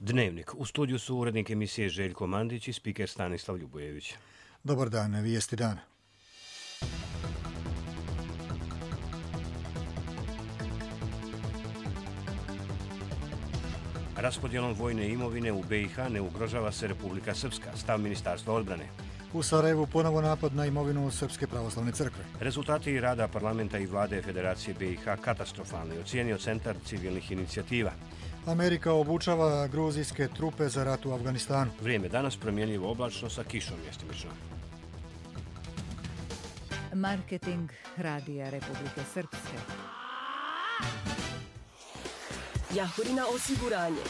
Dnevnik. U studiju su urednik emisije Željko Mandić i spiker Stanislav Ljubojević. Dobar dan, vijesti dana. Raspodjelom vojne imovine u BiH ne ugrožava se Republika Srpska, stav Ministarstva odbrane. U Sarajevu ponovo napad na imovinu Srpske pravoslavne crkve. Rezultati rada parlamenta i vlade Federacije BiH katastrofalni, ocijenio Centar civilnih inicijativa. Amerika obučava gruzijske trupe za rat u Afganistanu. Vrijeme danas promjenljivo oblačno sa kišom mjestimično. Marketing Radija Republike Srpske. Jahorina osiguranje.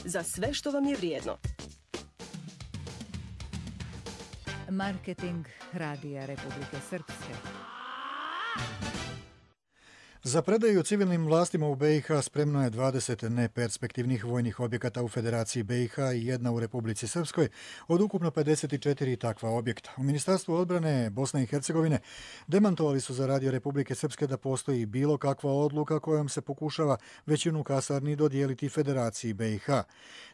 Za sve što vam je vrijedno. Marketing Radija Republike Srpske. Za predaju civilnim vlastima u BiH spremno je 20 neperspektivnih vojnih objekata u Federaciji BiH i jedna u Republici Srpskoj od ukupno 54 takva objekta. U Ministarstvu odbrane Bosne i Hercegovine demantovali su za Radio Republike Srpske da postoji bilo kakva odluka kojom se pokušava većinu kasarni dodijeliti Federaciji BiH.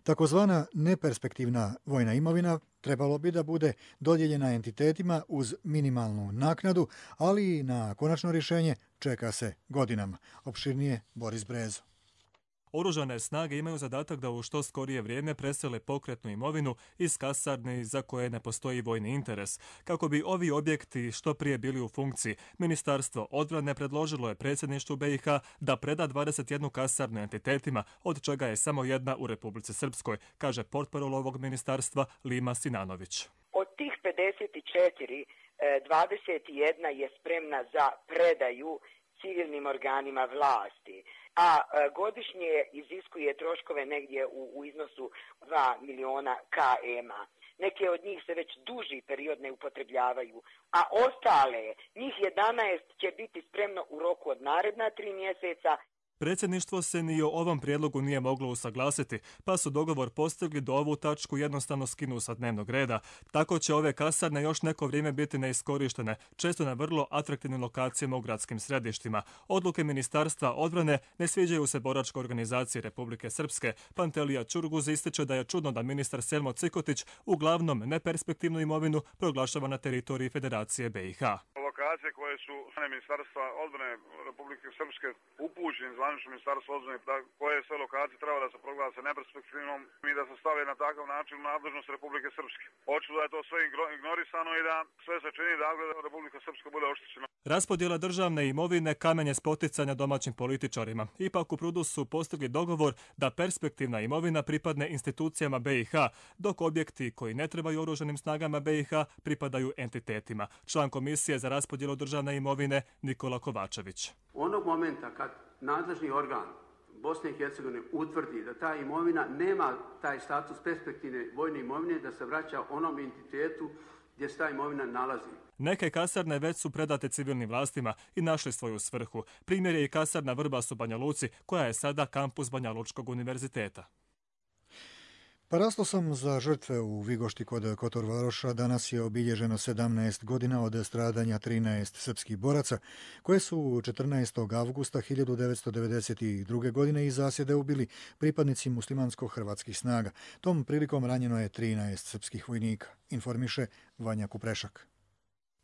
Takozvana neperspektivna vojna imovina trebalo bi da bude dodijeljena entitetima uz minimalnu naknadu, ali i na konačno rješenje čeka se godinama. Opširnije Boris Brezo. Oružane snage imaju zadatak da u što skorije vrijeme presele pokretnu imovinu iz kasarni za koje ne postoji vojni interes. Kako bi ovi objekti što prije bili u funkciji, Ministarstvo odbrane predložilo je predsjedništvu BiH da preda 21 kasarnu entitetima, od čega je samo jedna u Republici Srpskoj, kaže portparol ovog ministarstva Lima Sinanović. Od tih 54, 21 je spremna za predaju civilnim organima vlasti, a godišnje iziskuje troškove negdje u iznosu 2 miliona KM-a. Neke od njih se već duži period ne upotrebljavaju, a ostale, njih 11 će biti spremno u roku od naredna 3 mjeseca. Predsjedništvo se ni o ovom prijedlogu nije moglo usaglasiti, pa su dogovor postigli da ovu tačku jednostavno skinu sa dnevnog reda. Tako će ove kasarne još neko vrijeme biti neiskorištene, često na vrlo atraktivnim lokacijama u gradskim središtima. Odluke Ministarstva odbrane ne sviđaju se boračkoj organizaciji Republike Srpske. Pantelija Čurguz ističe da je čudno da ministar Selmo Cikotić uglavnom neperspektivnu imovinu proglašava na teritoriji Federacije BiH. Lokacije koje su Ministarstva odbrane Republike Srpske upućene zvanično Ministarstvo odbrane, koje sve lokacije treba da se proglase neperspektivnom i da se stave na takav način u nadležnost Republike Srpske. Očito da je to sve ignorisano i da sve se čini da Republika Srpska bude oštećena. Raspodjela državne imovine kamen je spoticanja domaćim političarima. Ipak u Prudu su postigli dogovor da perspektivna imovina pripadne institucijama BiH, dok objekti koji ne trebaju oružanim snagama BiH pripadaju entitetima. Član komisije za raspodjelu državne imovine Nikola Kovačević. Onog momenta kad nadležni organ Bosne i Hercegovine utvrdi da ta imovina nema taj status perspektivne vojne imovine, da se vraća onom entitetu gdje se ta imovina nalazi. Neke kasarne već su predate civilnim vlastima i našli svoju svrhu. Primjer je i kasarna Vrbas u Banja Luci, koja je sada kampus Banja Lučkog univerziteta. Parastosom za žrtve u Vigošti kod Kotor Varoša danas je obilježeno 17 godina od stradanja 13 srpskih boraca, koje su 14. avgusta 1992. godine iz zasjede ubili pripadnici muslimansko-hrvatskih snaga. Tom prilikom ranjeno je 13 srpskih vojnika, informiše Vanja Kuprešak.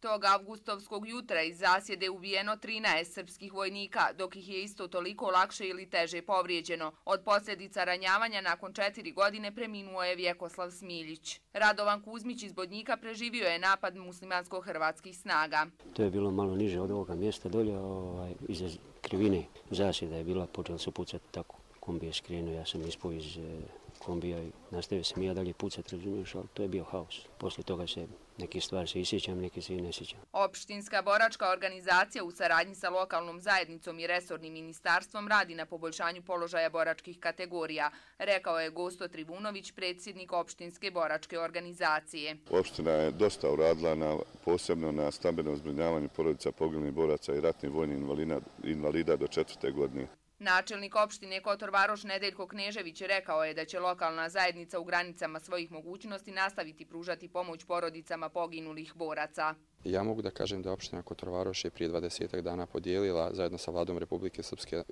Tog avgustovskog jutra iz zasjede ubijeno 13 srpskih vojnika, dok ih je isto toliko lakše ili teže povrijeđeno. Od posljedica ranjavanja nakon 4 godine preminuo je Vjekoslav Smiljić. Radovan Kuzmić iz Bodnjika preživio je napad muslimansko-hrvatskih snaga. To je bilo malo niže od ovoga mjesta dolje, iza krivine zasjeda je bila, počeli su pucati tako. Kombi je skrenuo, ja sam ispao iz kombija i nastavio sam ja dalje pucati, razumiješ, ali to je bio haos. Poslije toga se neke stvari se isjećam, neke se i ne sjećam. Opštinska boračka organizacija u saradnji sa lokalnom zajednicom i resornim ministarstvom radi na poboljšanju položaja boračkih kategorija, rekao je Gosto Trivunović, predsjednik opštinske boračke organizacije. Opština je dosta uradila posebno na stambenom zbrinjavanju porodica poginulih boraca i ratnih vojnih invalida do 4. godine. Načelnik opštine Kotor Varoš Nedeljko Knežević rekao je da će lokalna zajednica u granicama svojih mogućnosti nastaviti pružati pomoć porodicama poginulih boraca. Ja mogu da kažem da opština Kotor Varoš je prije 20 dana podijelila zajedno sa vladom Republike Srpske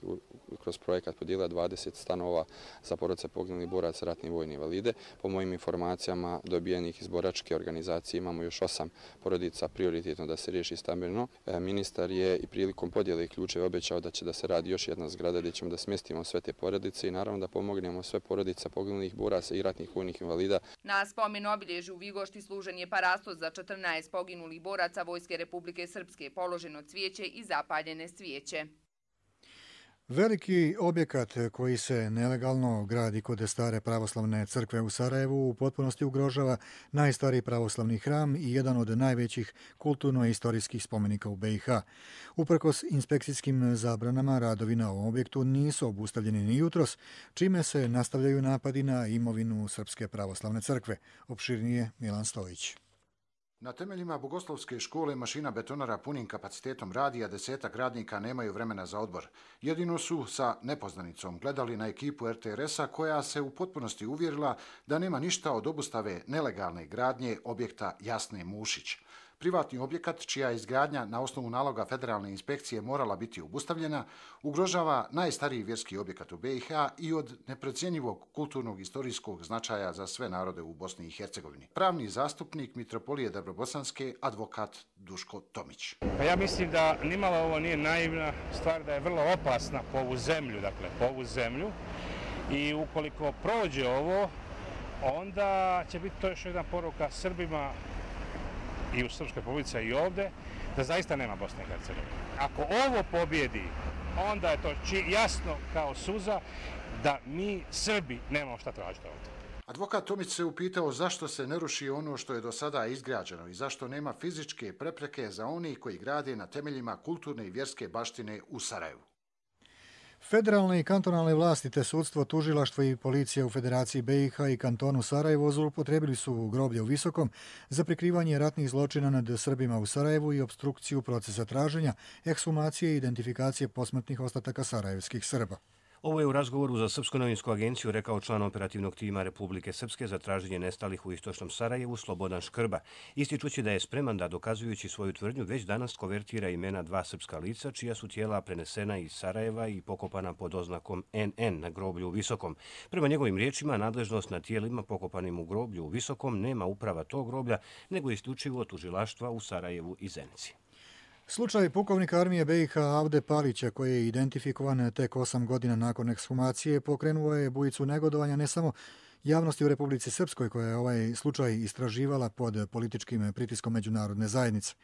kroz projekat podijelila 20 stanova za porodice poginulih boraca, ratnih vojnih invalide. Po mojim informacijama dobijenih iz boračke organizacije imamo još 8 porodica prioritetno da se riješi stambeno. Ministar je i prilikom podjele ključeva obećao da će da se radi još jedna zgrada gdje ćemo da smjestimo sve te porodice i naravno da pomognemo sve porodice poginulih boraca i ratnih vojnih invalida. Na spomen obilježju u Vigošti služen je parastos za 14 poginulih boraca Vojske Republike Srpske, položeno cvijeće i zapaljene svijeće. Veliki objekat koji se nelegalno gradi kod stare pravoslavne crkve u Sarajevu u potpunosti ugrožava najstariji pravoslavni hram i jedan od najvećih kulturno-istorijskih spomenika u BiH. Uprkos inspekcijskim zabranama, radovi na ovom objektu nisu obustavljeni ni jutros, čime se nastavljaju napadi na imovinu Srpske pravoslavne crkve. Opširnije Milan Stojić. Na temeljima Bogoslovske škole mašina betonara punim kapacitetom radi, a 10-ak radnika nemaju vremena za odmor. Jedino su sa nepoznanicom gledali na ekipu RTRS-a koja se u potpunosti uvjerila da nema ništa od obustave nelegalne gradnje objekta Jasne Mušić. Privatni objekat, čija izgradnja na osnovu naloga federalne inspekcije morala biti obustavljena, ugrožava najstariji vjerski objekat u BiH i od neprocjenjivog kulturnog istorijskog značaja za sve narode u Bosni i Hercegovini. Pravni zastupnik Mitropolije Dabrobosanske, advokat Duško Tomić. Ja mislim da nimalo ovo nije naivna stvar, da je vrlo opasna po ovu zemlju, i ukoliko prođe ovo, onda će biti to još jedna poruka Srbima i u Srpskoj Republici i ovdje, da zaista nema Bosne i Hercegovine. Ako ovo pobjedi, onda je to jasno kao suza da mi Srbi nemamo šta tražiti ovdje. Advokat Tomić se upitao zašto se ne ruši ono što je do sada izgrađeno i zašto nema fizičke prepreke za oni koji grade na temeljima kulturne i vjerske baštine u Sarajevu. Federalne i kantonalne vlasti te sudstvo, tužilaštvo i policija u Federaciji BiH i kantonu Sarajevo zloupotrijebili su groblje u Visokom za prikrivanje ratnih zločina nad Srbima u Sarajevu i opstrukciju procesa traženja, ekshumacije i identifikacije posmrtnih ostataka sarajevskih Srba. Ovo je u razgovoru za Srpsku novinsku agenciju rekao član operativnog tima Republike Srpske za traženje nestalih u istočnom Sarajevu Slobodan Škrba, ističući da je spreman da, dokazujući svoju tvrdnju, već danas konvertira imena 2 srpska lica čija su tijela prenesena iz Sarajeva i pokopana pod oznakom NN na groblju u Visokom. Prema njegovim riječima, nadležnost na tijelima pokopanim u groblju u Visokom nema uprava tog groblja, nego isključivo tužilaštva u Sarajevu i Zenici. Slučaj pukovnika armije BiH Avde Palića, koji je identifikovan tek 8 godina nakon ekshumacije, pokrenuo je bujicu negodovanja ne samo javnosti u Republici Srpskoj, koja je ovaj slučaj istraživala pod političkim pritiskom međunarodne zajednice.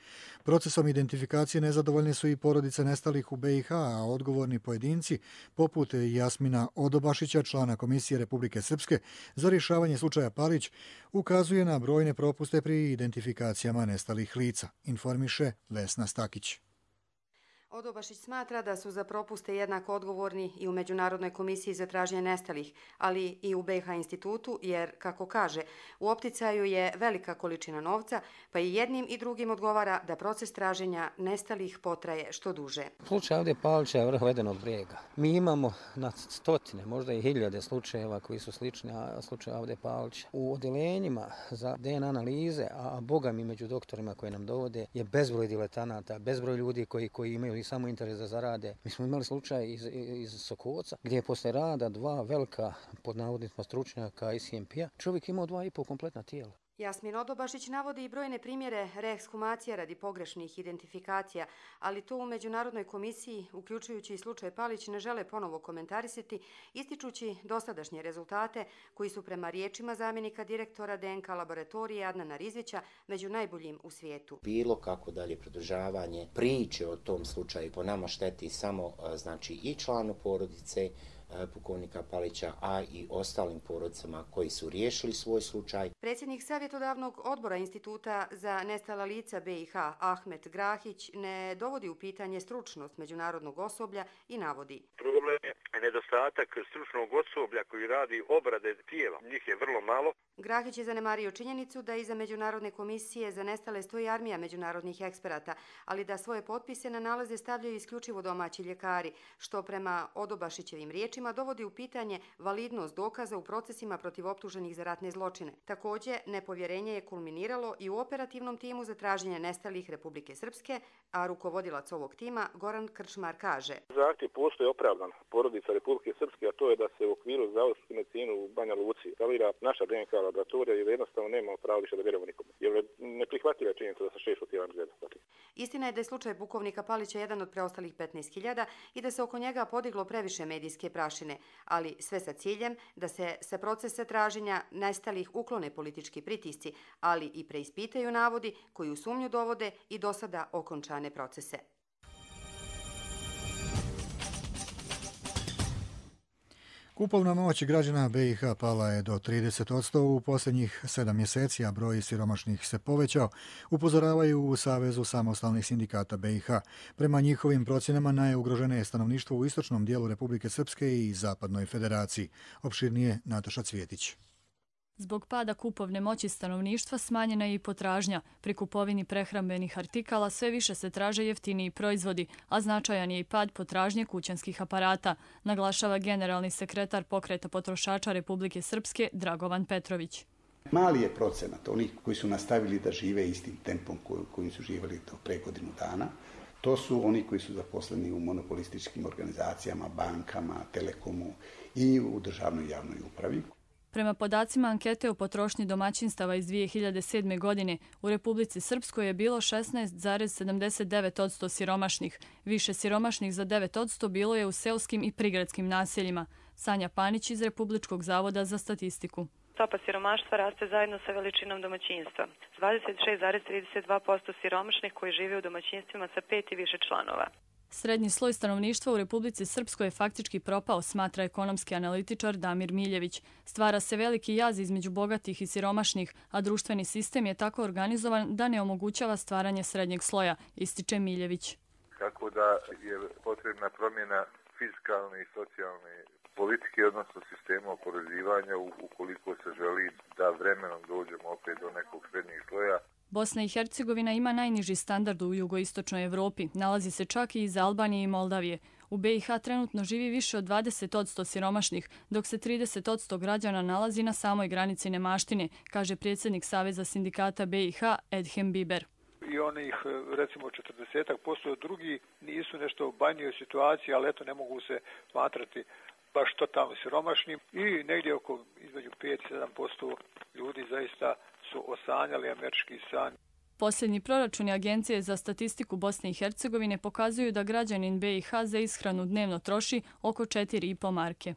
Procesom identifikacije nezadovoljne su i porodice nestalih u BiH, a odgovorni pojedinci, poput Jasmina Odobašića, člana Komisije Republike Srpske za rješavanje slučaja Palić, ukazuje na brojne propuste pri identifikacijama nestalih lica, informiše Vesna Stakić. Odobašić smatra da su za propuste jednako odgovorni i u Međunarodnoj komisiji za traženje nestalih, ali i u BiH institutu, jer, kako kaže, u opticaju je velika količina novca, pa i jednim i drugim odgovara da proces traženja nestalih potraje što duže. Slučaj Avde Palića je vrh ledenog brijega. Mi imamo na stotine, možda i hiljade slučajeva koji su slični slučaju Avde Palića. U odeljenjima za DNA analize, a boga mi među doktorima koji nam dovode, je bezbroj diletanata, bezbroj ljudi koji imaju i samo interes da zarade. Mi smo imali slučaj iz Sokoca, gdje je posle rada 2 velika, pod navodnicima, stručnjaka ICMP-a, čovjek imao 2,5 kompletna tijela. Jasmin Odobašić navodi i brojne primjere reekshumacija radi pogrešnih identifikacija, ali to u Međunarodnoj komisiji, uključujući i slučaj Palić, ne žele ponovo komentarisati, ističući dosadašnje rezultate koji su prema riječima zamjenika direktora DNK laboratorije Adnana Rizvića među najboljim u svijetu. Bilo kako dalje pridržavanje priče o tom slučaju po nama šteti samo i članu porodice pukovnika Palića, a i ostalim porodicama koji su riješili svoj slučaj. Predsjednik savjetodavnog odbora Instituta za nestala lica BiH Ahmet Grahić ne dovodi u pitanje stručnost međunarodnog osoblja i navodi: problem je nedostatak stručnog osoblja koji radi obrade tijela. Njih je vrlo malo. Grahić je zanemario činjenicu da iza Međunarodne komisije za nestale stoji armija međunarodnih eksperata, ali da svoje potpise na nalaze stavljaju isključivo domaći ljekari, što prema Odobašićevim riječima dovodi u pitanje validnost dokaza u procesima protiv optuženih za ratne zločine. Također, nepovjerenje je kulminiralo i u operativnom timu za traženje nestalih Republike Srpske, a rukovodilac ovog tima Goran Krčmar kaže: Zahtjev postoji opravdan. Porodica obveznica Republike Srpske, a to je da se u okviru zavodsku medicinu u Banja Luci instalira naša DNK laboratorija, jer jednostavno nemamo pravo više da vjerujemo nikome. Jer neprihvatljiva je činjenica da se 6 rotirani gleda. Istina je da je slučaj pukovnika Palića jedan od preostalih 15.000 i da se oko njega podiglo previše medijske prašine, ali sve sa ciljem da se sa procesa traženja nestalih uklone politički pritisci, ali i preispitaju navodi koji u sumnju dovode i do sada okončane procese. Kupovna moć građana BiH pala je do 30% u posljednjih 7 mjeseci, a broj siromašnih se povećao, upozoravaju u Savezu samostalnih sindikata BiH. Prema njihovim procjenama najugroženije je stanovništvo u istočnom dijelu Republike Srpske i Zapadnoj Federaciji. Opširnije Nataša Cvjetić. Zbog pada kupovne moći stanovništva smanjena je i potražnja. Pri kupovini prehrambenih artikala sve više se traže jeftiniji proizvodi, a značajan je i pad potražnje kućanskih aparata, naglašava generalni sekretar Pokreta potrošača Republike Srpske Dragovan Petrović. Mali je procenat onih koji su nastavili da žive istim tempom kojim su živjeli do pre godinu dana. To su oni koji su zaposleni u monopolističkim organizacijama, bankama, telekomu i u državnoj javnoj upravi. Prema podacima ankete o potrošnji domaćinstava iz 2007. godine, u Republici Srpskoj je bilo 16,79% siromašnih. Više siromašnih za 9% bilo je u seoskim i prigradskim naseljima. Sanja Panić iz Republičkog zavoda za statistiku. Stopa siromaštva raste zajedno sa veličinom domaćinstva. 26,32% siromašnih koji žive u domaćinstvima sa 5 i više članova. Srednji sloj stanovništva u Republici Srpskoj je faktički propao, smatra ekonomski analitičar Damir Miljević. Stvara se veliki jaz između bogatih i siromašnih, a društveni sistem je tako organizovan da ne omogućava stvaranje srednjeg sloja, ističe Miljević. Tako da je potrebna promjena fiskalne i socijalne politike, odnosno sistema oporezivanja ukoliko se želi da vremenom dođemo opet do nekog srednjeg sloja. Bosna i Hercegovina ima najniži standard u jugoistočnoj Evropi. Nalazi se čak i iz Albanije i Moldavije. U BiH trenutno živi više od 20% siromašnih, dok se 30% građana nalazi na samoj granici nemaštine, kaže predsjednik Saveza sindikata BiH Edhem Biber. I onih, recimo, 40% drugi nisu nešto u banjoj situaciji, ali eto ne mogu se smatrati baš totalno siromašnim i negdje oko između 5-7% ljudi zaista su osanjali američki san. Posljednji proračuni Agencije za statistiku Bosne i Hercegovine pokazuju da građanin BiH za ishranu dnevno troši oko 4,5 marke.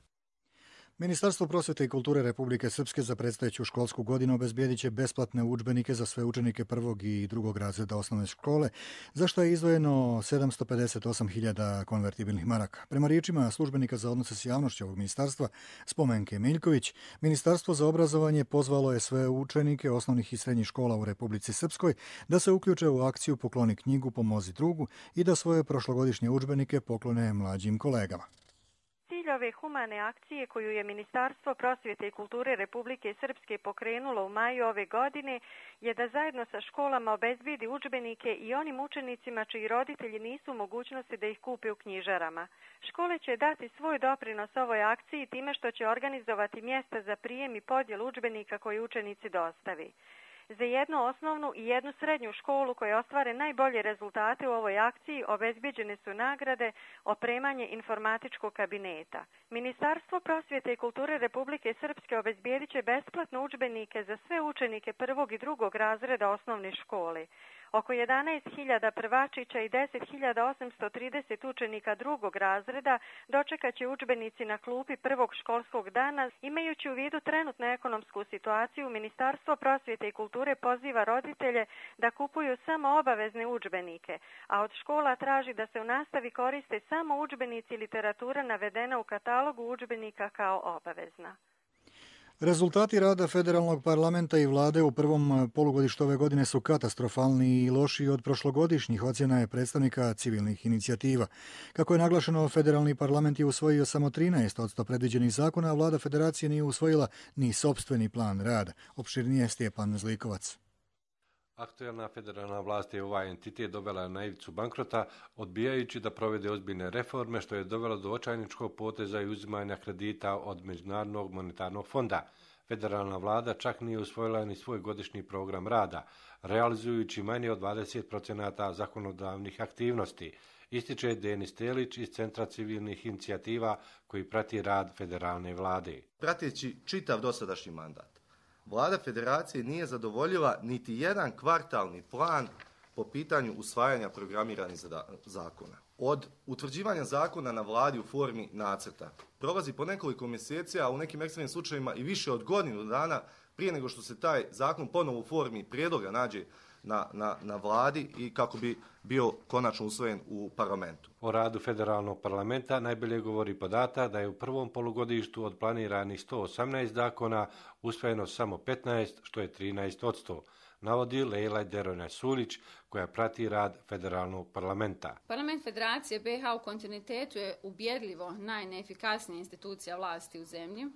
Ministarstvo prosvjete i kulture Republike Srpske za predstojeću školsku godinu obezbijedit će besplatne udžbenike za sve učenike prvog i drugog razreda osnovne škole, za što je izdvojeno 758.000 konvertibilnih maraka. Prema riječima službenika za odnose s javnošću ovog ministarstva, Spomenke Miljković, Ministarstvo za obrazovanje pozvalo je sve učenike osnovnih i srednjih škola u Republici Srpskoj da se uključe u akciju Pokloni knjigu, pomozi drugu i da svoje prošlogodišnje udžbenike poklone mlađim kolegama. Cilj ove humane akcije koju je Ministarstvo prosvjete i kulture Republike Srpske pokrenulo u maju ove godine je da zajedno sa školama obezbijedi udžbenike i onim učenicima čiji roditelji nisu u mogućnosti da ih kupe u knjižarama. Škole će dati svoj doprinos ovoj akciji time što će organizovati mjesta za prijem i podjelu udžbenika koji učenici dostavi. Za jednu osnovnu i jednu srednju školu koje ostvare najbolje rezultate u ovoj akciji obezbijeđene su nagrade, opremanje informatičkog kabineta. Ministarstvo prosvjete i kulture Republike Srpske obezbijedit će besplatno udžbenike za sve učenike prvog i drugog razreda osnovne škole. Oko 11.000 prvačića i 10.830 učenika drugog razreda dočekat će udžbenici na klupi prvog školskog dana. Imajući u vidu trenutnu ekonomsku situaciju, Ministarstvo prosvjete i kulture poziva roditelje da kupuju samo obavezne udžbenike, a od škola traži da se u nastavi koriste samo udžbenici i literatura navedena u katalogu udžbenika kao obavezna. Rezultati rada federalnog parlamenta i vlade u prvom polugodištu ove godine su katastrofalni i lošiji od prošlogodišnjih, ocjena je predstavnika civilnih inicijativa. Kako je naglašeno, federalni parlament je usvojio samo 13% predviđenih zakona, a vlada federacije nije usvojila ni sopstveni plan rada. Opširnije Stjepan Zlikovac. Aktualna federalna vlast je ovaj entitet dovela na ivicu bankrota, odbijajući da provede ozbiljne reforme, što je dovelo do očajničkog poteza i uzimanja kredita od Međunarodnog monetarnog fonda. Federalna vlada čak nije usvojila ni svoj godišnji program rada, realizujući manje od 20% zakonodavnih aktivnosti, ističe Denis Telić iz Centra civilnih inicijativa koji prati rad federalne vlade. Prateći čitav dosadašnji mandat, Vlada federacije nije zadovoljila niti jedan kvartalni plan po pitanju usvajanja programiranih zakona. Od utvrđivanja zakona na vladi u formi nacrta prolazi po nekoliko mjeseci, a u nekim ekstremnim slučajevima i više od godinu dana prije nego što se taj zakon ponovo u formi prijedloga nađe na vladi i kako bi bio konačno usvojen u parlamentu. O radu federalnog parlamenta najbolje govori podatak da je u prvom polugodištu od planiranih 118 zakona usvojeno samo 15, što je 13%, navodi Lejla Derona-Sulić, koja prati rad federalnog parlamenta. Parlament Federacije BiH u kontinuitetu je ubjedljivo najneefikasnija institucija vlasti u zemlji,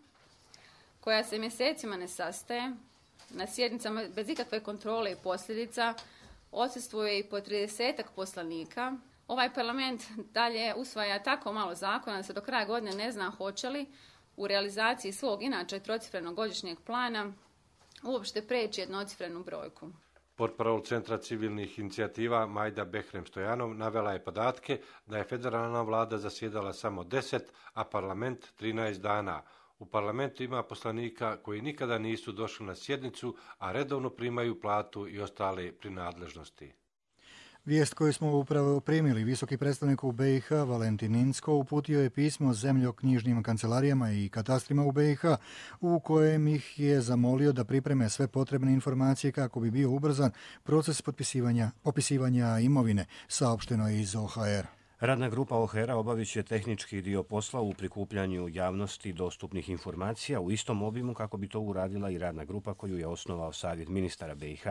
koja se mjesecima ne sastaje, na sjednicama bez ikakve kontrole i posljedica, odsustvuje i po 30-ak poslanika. Ovaj parlament dalje usvaja tako malo zakona da se do kraja godine ne zna hoće li u realizaciji svog inače trocifrenog godišnjeg plana uopšte preći jednocifrenu brojku. Portparol Centra civilnih inicijativa Majda Behrem-Stojanov navela je podatke da je federalna vlada zasjedala samo 10, a parlament 13 dana. U parlamentu ima poslanika koji nikada nisu došli na sjednicu, a redovno primaju platu i ostale prinadležnosti. Vijest koju smo upravo primili, visoki predstavnik u BiH Valentin Incko uputio je pismo zemljoknjižnim kancelarijama i katastrima u BiH u kojem ih je zamolio da pripreme sve potrebne informacije kako bi bio ubrzan proces popisivanja imovine, saopšteno je iz OHR. Radna grupa OHR-a obavit će tehnički dio posla u prikupljanju javnosti dostupnih informacija u istom obimu kako bi to uradila i radna grupa koju je osnovao Savjet ministara BiH,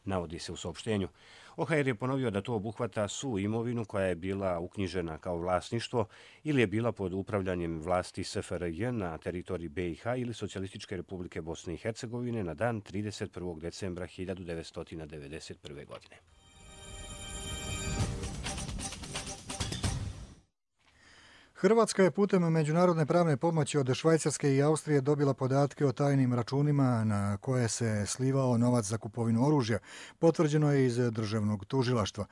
navodi se u saopštenju. OHR je ponovio da to obuhvata svu imovinu koja je bila uknjižena kao vlasništvo ili je bila pod upravljanjem vlasti SFRJ na teritoriji BiH ili Socijalističke republike Bosne i Hercegovine na dan 31. decembra 1991. godine. Hrvatska je putem međunarodne pravne pomoći od Švajcarske i Austrije dobila podatke o tajnim računima na koje se slivao novac za kupovinu oružja, potvrđeno je iz državnog tužilaštva.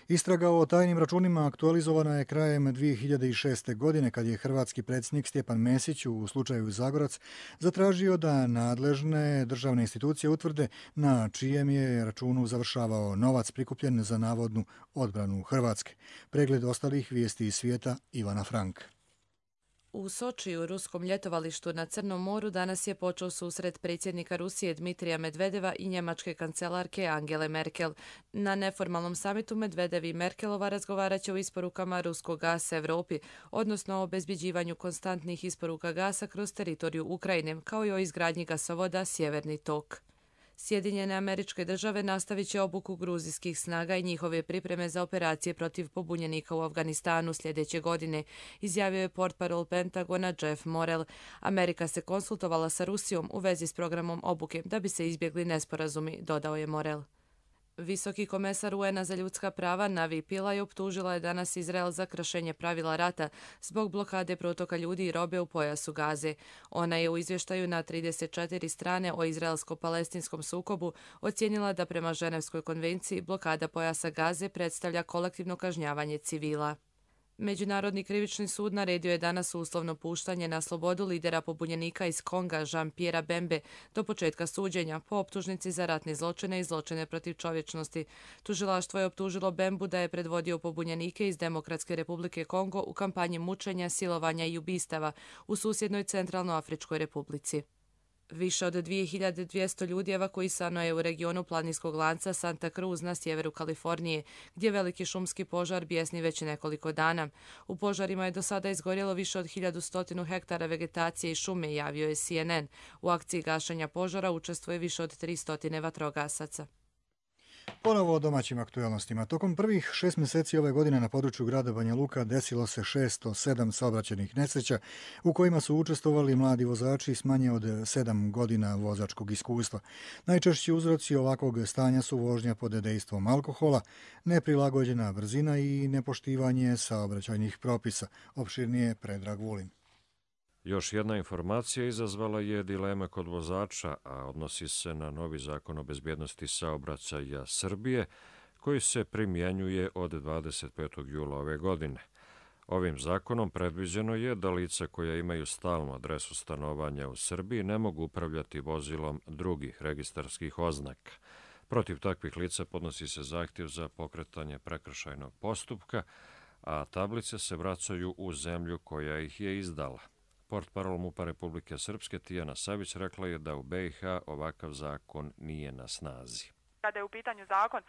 Istraga o tajnim računima aktualizovana je krajem 2006. godine kad je hrvatski predsjednik Stjepan Mesić u slučaju Zagorac zatražio da nadležne državne institucije utvrde na čijem je računu završavao novac prikupljen za navodnu odbranu Hrvatske. Pregled ostalih vijesti iz svijeta Ivana Frank. U Sočiju, ruskom ljetovalištu na Crnom moru, danas je počeo susret predsjednika Rusije Dmitrija Medvedeva i njemačke kancelarke Angele Merkel. Na neformalnom samitu Medvedev i Merkelova razgovarat će o isporukama ruskog gasa Evropi, odnosno o obezbjeđivanju konstantnih isporuka gasa kroz teritoriju Ukrajine, kao i o izgradnji gasovoda Sjeverni tok. Sjedinjene Američke Države nastavit će obuku gruzijskih snaga i njihove pripreme za operacije protiv pobunjenika u Afganistanu sljedeće godine, izjavio je portparol Pentagona Jeff Morrell. Amerika se konsultovala sa Rusijom u vezi s programom obuke da bi se izbjegli nesporazumi, dodao je Morrell. Visoki komesar UN-a za ljudska prava Navi Pillay optužila je danas Izrael za kršenje pravila rata zbog blokade protoka ljudi i robe u pojasu Gaze. Ona je u izvještaju na 34 strane o izraelsko-palestinskom sukobu ocijenila da prema Ženevskoj konvenciji blokada pojasa Gaze predstavlja kolektivno kažnjavanje civila. Međunarodni krivični sud naredio je danas uslovno puštanje na slobodu lidera pobunjenika iz Konga Jean-Pierre Bembe do početka suđenja po optužnici za ratne zločine i zločine protiv čovječnosti. Tužilaštvo je optužilo Bembu da je predvodio pobunjenike iz Demokratske republike Kongo u kampanji mučenja, silovanja i ubistava u susjednoj Centralnoafričkoj republici. Više od 2200 ljudi evakuisano je u regionu planinskog lanca Santa Cruz na sjeveru Kalifornije, gdje veliki šumski požar bijesni već nekoliko dana. U požarima je do sada izgorjelo više od 1100 hektara vegetacije i šume, javio je CNN. U akciji gašenja požara učestvuje više od 300 vatrogasaca. Ponovo o domaćim aktualnostima. Tokom prvih 6 mjeseci ove godine na području grada Banja Luka desilo se 607 saobraćajnih nesreća u kojima su učestvovali mladi vozači s manje od 7 godina vozačkog iskustva. Najčešći uzroci ovakvog stanja su vožnja pod dejstvom alkohola, neprilagođena brzina i nepoštivanje saobraćajnih propisa. Opširnije Predrag Vulin. Još jedna informacija izazvala je dileme kod vozača, a odnosi se na novi zakon o bezbjednosti saobraćaja Srbije, koji se primjenjuje od 25. jula ove godine. Ovim zakonom predviđeno je da lica koja imaju stalnu adresu stanovanja u Srbiji ne mogu upravljati vozilom drugih registarskih oznaka. Protiv takvih lica podnosi se zahtjev za pokretanje prekršajnog postupka, a tablice se vraćaju u zemlju koja ih je izdala. Portparol MUP-a Republike Srpske Tijana Savić rekla je da u BiH ovakav zakon nije na snazi. Kada je u pitanju zakon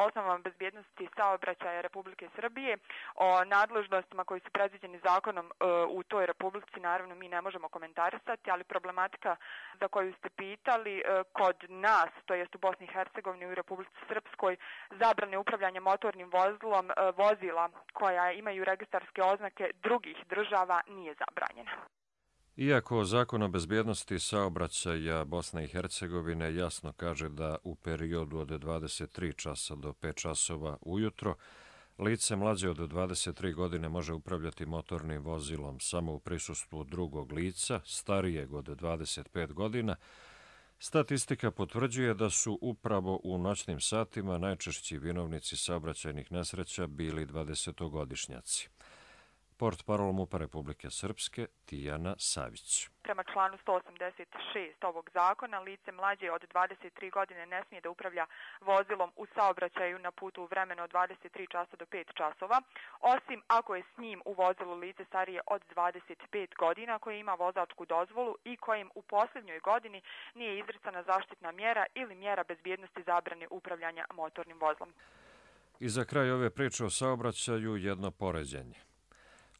osnovama bezbjednosti saobraćaja Republike Srbije, o nadležnostima koji su predviđeni zakonom u toj republici, naravno mi ne možemo komentarisati, ali problematika za koju ste pitali kod nas, to jest u Bosni i Hercegovini i u Republici Srpskoj, zabrane upravljanja motornim vozilom vozila koja imaju registarske oznake drugih država nije zabranjena. Iako zakon o bezbjednosti saobraćaja Bosne i Hercegovine jasno kaže da u periodu od 23 časa do 5 časova ujutro lice mlađe od 23 godine može upravljati motornim vozilom samo u prisustvu drugog lica, starijeg od 25 godina, statistika potvrđuje da su upravo u noćnim satima najčešći vinovnici saobraćajnih nesreća bili 20-godišnjaci. Portparol MUP-a Republike Srpske Tijana Savić. Prema članu 186 ovog zakona, lice mlađe od 23 godine ne smije da upravlja vozilom u saobraćaju na putu u vremenu od 23 časa do 5 časova, osim ako je s njim u vozilu lice starije od 25 godina koje ima vozačku dozvolu i kojim u posljednjoj godini nije izricana zaštitna mjera ili mjera bezbjednosti zabrane upravljanja motornim vozilom. I za kraj ove priče o saobraćaju jedno poređenje.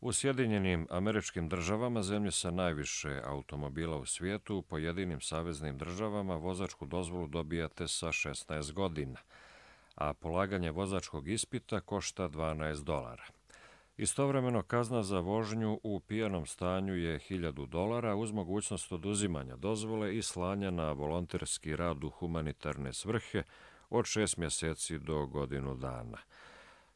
U Sjedinjenim Američkim Državama, zemlje sa najviše automobila u svijetu, u pojedinim saveznim državama vozačku dozvolu dobijate sa 16 godina, a polaganje vozačkog ispita košta $12. Istovremeno kazna za vožnju u pijanom stanju je $1000 uz mogućnost oduzimanja dozvole i slanja na volonterski rad u humanitarne svrhe od 6 mjeseci do godinu dana.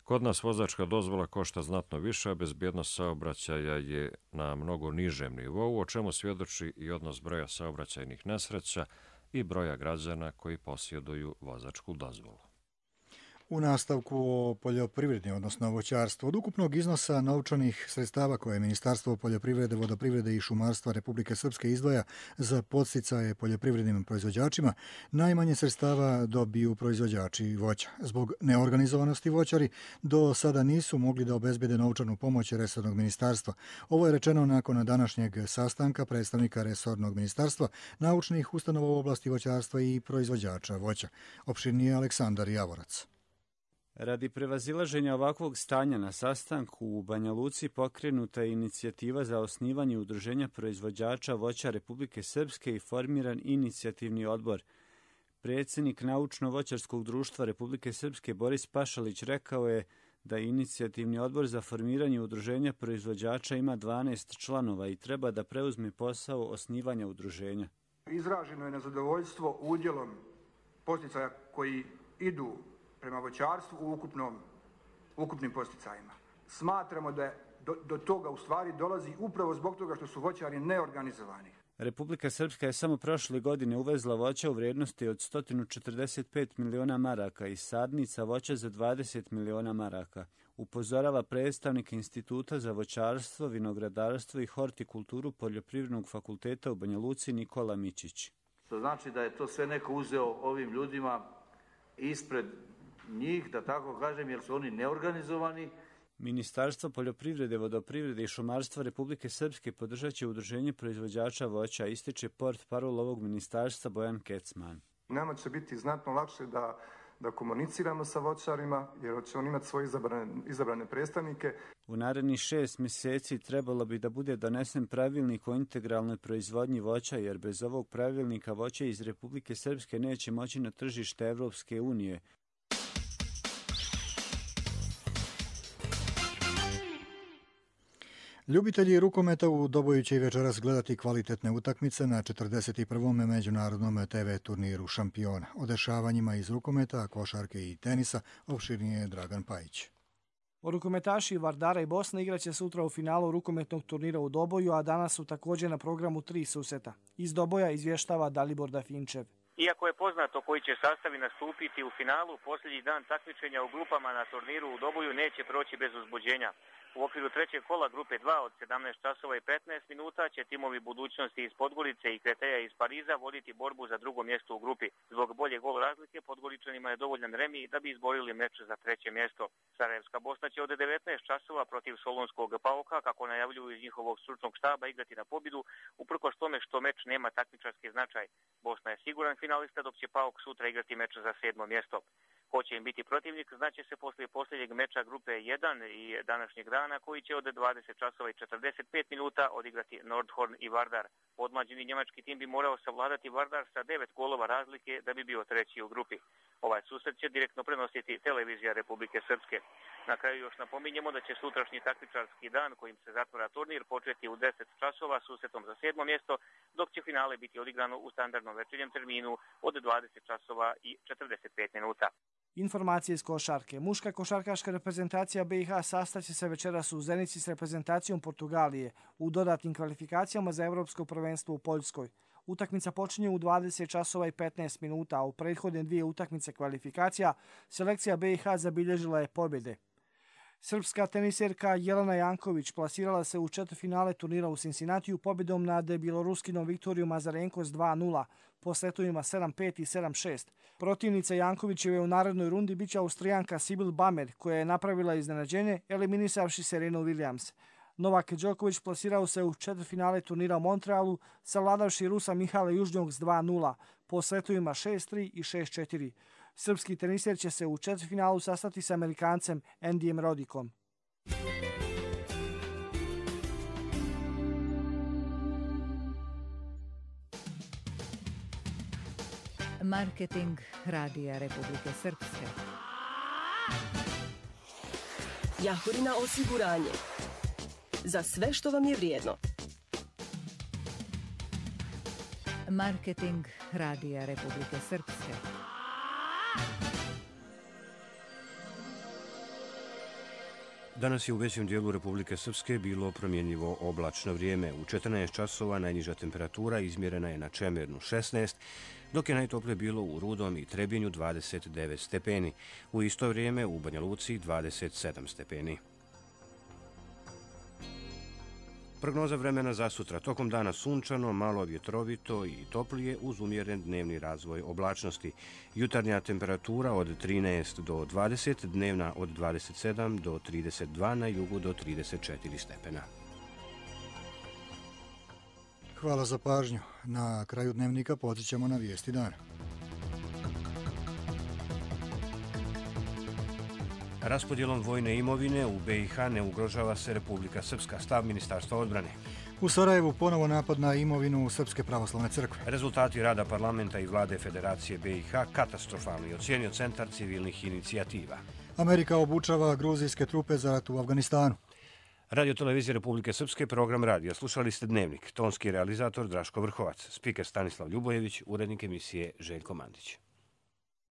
Kod nas vozačka dozvola košta znatno više, a bezbjednost saobraćaja je na mnogo nižem nivou, o čemu svjedoči i odnos broja saobraćajnih nesreća i broja građana koji posjeduju vozačku dozvolu. U nastavku o poljoprivredi, odnosno voćarstvu, od ukupnog iznosa novčanih sredstava koje Ministarstvo poljoprivrede, vodoprivrede i šumarstva Republike Srpske izdvaja za podsticaje poljoprivrednim proizvođačima, najmanje sredstava dobiju proizvođači voća. Zbog neorganizovanosti voćari do sada nisu mogli da obezbede novčanu pomoć resornog ministarstva. Ovo je rečeno nakon današnjeg sastanka predstavnika resornog ministarstva, naučnih ustanova u oblasti voćarstva i proizvođača voća. Opširnije Aleksandar Javorac. Radi prevazilaženja ovakvog stanja na sastanku u Banja Luci pokrenuta je inicijativa za osnivanje udruženja proizvođača voća Republike Srpske i formiran inicijativni odbor. Predsjednik Naučno-voćarskog društva Republike Srpske Boris Pašalić rekao je da inicijativni odbor za formiranje udruženja proizvođača ima 12 članova i treba da preuzme posao osnivanja udruženja. Izraženo je nezadovoljstvo udjelom podsticaja koji idu prema voćarstvu u ukupnim posticajima. Smatramo da do toga u stvari dolazi upravo zbog toga što su voćari neorganizovani. Republika Srpska je samo prošle godine uvezla voća u vrijednosti od 145 miliona maraka i sadnica voća za 20 miliona maraka. Upozorava predstavnik Instituta za voćarstvo, vinogradarstvo i hortikulturu Poljoprivrednog fakulteta u Banja Luci Nikola Mičić. To znači da je to sve neko uzeo ovim ljudima ispred njih, da tako kažem, jer su oni neorganizovani. Ministarstvo poljoprivrede, vodoprivrede i šumarstva Republike Srpske podržat će udruženje proizvođača voća, ističe portparol ovog ministarstva Bojan Kecman. Nama će biti znatno lakše da komuniciramo sa voćarima, jer će oni imati svoje izabrane predstavnike. U narednih 6 mjeseci trebalo bi da bude donesen pravilnik o integralnoj proizvodnji voća, jer bez ovog pravilnika voće iz Republike Srpske neće moći na tržište Evropske unije. Ljubitelji rukometa u Doboju će i večeras gledati kvalitetne utakmice na 41. međunarodnom TV turniru Šampiona. O dešavanjima iz rukometa, košarke i tenisa opširnije Dragan Pajić. Rukometaši Vardara i Bosna igraće sutra u finalu rukometnog turnira u Doboju, a danas su također na programu 3 susreta. Iz Doboja izvještava Dalibor Dafinčev. Iako je poznato koji će sastavi nastupiti u finalu, posljednji dan takmičenja u grupama na turniru u Doboju neće proći bez uzbuđenja. U okviru trećeg kola grupe 2 od 17 časova i 15 minuta će timovi budućnosti iz Podgorice i Kreteja iz Pariza voditi borbu za drugo mjesto u grupi. Zbog bolje gol razlike Podgoričanima je dovoljan remi da bi izborili meč za treće mjesto. Sarajevska Bosna će od 19 časova protiv Solunskog Pauka, kako najavljuju iz njihovog stručnog štaba, igrati na pobjedu, uprkos tome što meč nema takmičarski značaj. Bosna je siguran finalista, dok će Pauk sutra igrati meč za 7. mjesto. Ko će im biti protivnik znaće se poslije posljednjeg meča grupe 1 i današnjeg dana, koji će od 20 časova i 45 minuta odigrati Nordhorn i Vardar. Podmlađeni njemački tim bi morao savladati Vardar sa 9 golova razlike da bi bio treći u grupi. Ovaj susret će direktno prenositi televizija Republike Srpske. Na kraju još napominjemo da će sutrašnji takmičarski dan kojim se zatvara turnir početi u 10 časova susretom za 7. mjesto, dok će finale biti odigrano u standardnom večernjem terminu od 20 časova i 45 minuta. Informacije iz košarke. Muška košarkaška reprezentacija BiH sastaće se večeras u Zenici s reprezentacijom Portugalije u dodatnim kvalifikacijama za Evropsko prvenstvo u Poljskoj. Utakmica počinje u 20 časova i 15 minuta, a u prethodne 2 utakmice kvalifikacija selekcija BiH zabilježila je pobjede. Srpska teniserka Jelena Janković plasirala se u četvrtfinale turnira u Cincinnatiju pobjedom nad bjeloruskinom Viktorijom Azarenko s 2:0 po setovima 7-5 i 7-6. Protivnica Jankovićeve u narednoj rundi biće Austrijanka Sibyl Bamer, koja je napravila iznenađenje eliminisavši Serenu Williams. Novak Đoković plasirao se u četvrtfinale turnira u Montrealu, savladavši Rusa Mihala Južnjog s 2:0 po setovima 6-3 i 6-4. Srpski teniser će se u četvrtfinalu sastati s Amerikancem Andyjem Rodikom. Marketing Radija Republike Srpske. Jahorina osiguranje. Za sve što vam je vrijedno. Marketing Radija Republike Srpske. Danas je u većem dijelu Republike Srpske bilo promjenjivo oblačno vrijeme. U 14 časova najniža temperatura izmjerena je na Čemernu 16, dok je najtoplije bilo u Rudom i Trebinju 29 stepeni. U isto vrijeme u Banja Luci 27 stepeni. Prognoza vremena za sutra. Tokom dana sunčano, malo vjetrovito i toplije uz umjeren dnevni razvoj oblačnosti. Jutarnja temperatura od 13 do 20, dnevna od 27 do 32, na jugu do 34 stepena. Hvala za pažnju. Na kraju dnevnika podsjećamo na vijesti dana. Raspodjelom vojne imovine u BiH ne ugrožava se Republika Srpska, stav Ministarstva odbrane. U Sarajevu ponovo napad na imovinu Srpske pravoslavne crkve. Rezultati rada parlamenta i vlade Federacije BiH katastrofalni, ocijenio Centar civilnih inicijativa. Amerika obučava gruzijske trupe za rat u Afganistanu. Radio televizije Republike Srpske, program radija. Slušali ste Dnevnik. Tonski realizator Draško Vrhovac, spiker Stanislav Ljubojević, urednik emisije Željko Mandić.